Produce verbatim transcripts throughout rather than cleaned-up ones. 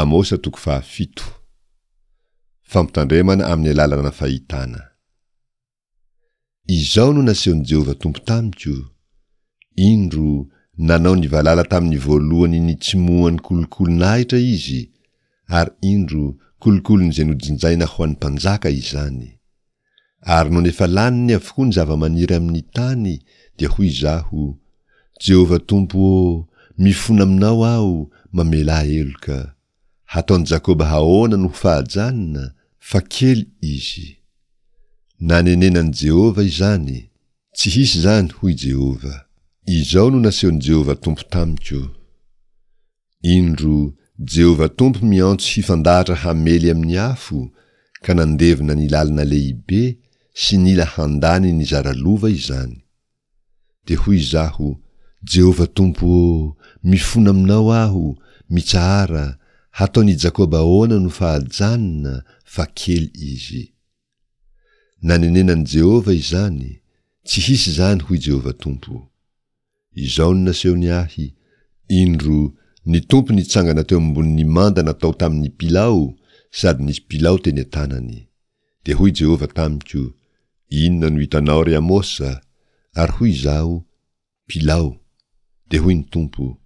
Amosa toko fahafito. Fampitandremana amin'ny alalana fahitana. Izao no nasehon'i Jehovah Tompo tamiko, Indro, nanao ny valala tamin'ny voalohany nitsimohan'ny kolokolon'ahitra izy, ary indro, kolokolon'izay nojinjaina ho an'ny mpanjaka izany. Ary nony efa laniny avokoa ny zava-maniry amin'ny tany, dia hoy izaho, Jehovah Tompo ô, mifona aminao aho, mamelà heloka. Hataon'i Jakoba ahoana no ho fahajanona, fa kely izy. Nanenenan'i Jehovah izany. Tsy hisy izany, hoy Jehovah. Izao no nasehon'i Jehovah Tompo tamiko, Indro, Jehovah Tompo miantso hifandahatra hamely amin'ny afo, ka nandevona ny lalina lehibe sy nila handany ny zara lova izany. Dia hoy izaho, Jehovah Tompo ô, mifona aminao aho, mitsahara, hataon'i Jakoba ahoana no fahajanona, fa kely izy. Nanenenan'i Jehovah izany, Tsy hisy izany, hoy Jehovah Tompo. Izao no nasehony ahy, Indro, ny Tompo nitsangana teo ambonin'ny manda natao tamin'ny pilao, sady nisy pilao teny an-tanany. Dia hoy Jehovah tamiko, Inona no hitanao, ry Amosa? Ary hoy izaho, Pilao. Dia hoy ny Tompo,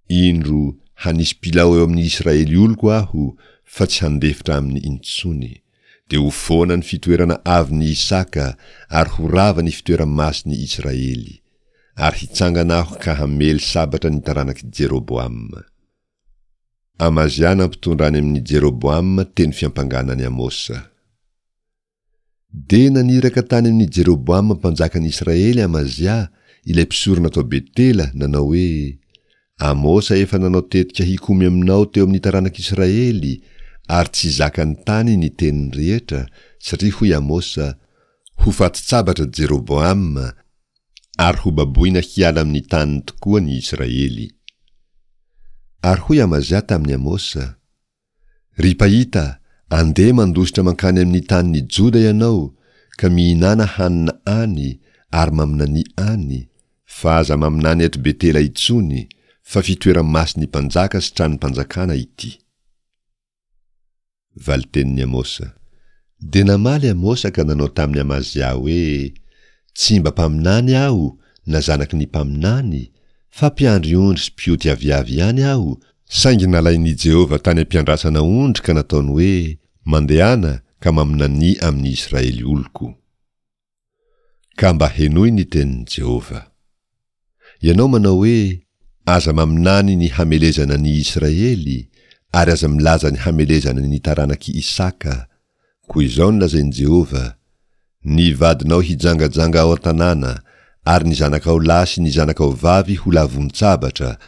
Indro, hanisy pilao eo amin'ny Israely oloko Aho, fa tsy handefitra aminy intsony. Dia ho foana ny fitoerana avon'i Isaka, ary ho rava ny fitoera-masin'i Israely. Ary hitsangana Aho ka hamely sabatra ny taranak'i Jeroboama. Amazia nampitondra any amin'i Jeroboama teny fiampangana an'i Amosa. Dia naniraka tany amin'i Jeroboama mpanjakan'i Israely Amazia, ilay mpisorona tao Betela, nanao hoe, Amosa efa nanao tetika hikomy aminao teo amin'ny taranak'Israely, ary tsy zakan'ny tany ny teniny rehetra, satria hoy Amosa, Ho fatin-tsabatra Jeroboama, ary hobaboina hiala amin'ny taniny tokoa ny Israely. Ary hoy Amazia tamin'i Amosa, Ry mpahita, andeha mandositra mankany amin'ny tanin'i Joda ianao, ka mihinàna hanina any ary maminania any, fa aza maminany eto Betela intsony, fa fitoera-masin'ny mpanjaka sy tranom-panjakana ity. Valitenin'i Amosa. Dia namaly Amosa ka nanao tamin'i Amazia hoe, Tsy mba mpaminany aho, na zanaky ny mpaminany, fa mpiandry ondry sy mpioty aviavy ihany aho, saingy nalain'i Jehovah tany am-piandrasana ondry ka nataony hoe, Mandehana ka maminania amin'ny Israely oloko. Ka mba henoy ny tenin'i Jehovah. Ianao manao hoe, Aza maminany ny hamelezana ny Israely, ary aza milaza ny hamelezana ny taranak'i Isaka. Koa izao no lazain'i Jehovah, Ny vadinao hijangajanga ao an-tanàna, ary ny zanakao lahy sy ny zanakao vavy ho lavon-tsabatra,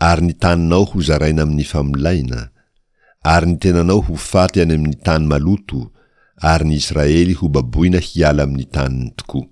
ary ny taninao hozaraina amin'ny famolaina, ary ny tenanao ho faty any amin'ny tany maloto, ary ny Israely hobaboina hiala amin'ny taniny tokoa.